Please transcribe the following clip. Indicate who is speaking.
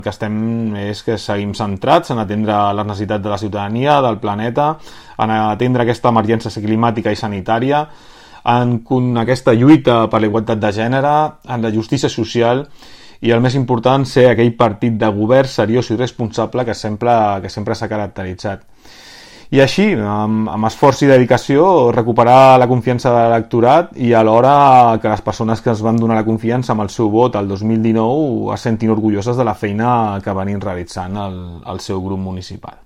Speaker 1: que estem és que seguim centrats en atendre les necessitats de la ciutadania, del planeta, en atendre aquesta emergència climàtica i sanitària, en aquesta lluita per la igualtat de gènere, en la justícia social i el més important, ser aquell partit de govern seriós i responsable que sempre s'ha caracteritzat. I així, amb esforç i dedicació, recuperar la confiança de l'electorat i alhora que les persones que ens van donar la confiança amb el seu vot el 2019 es sentin orgulloses de la feina que venim realitzant al seu grup municipal.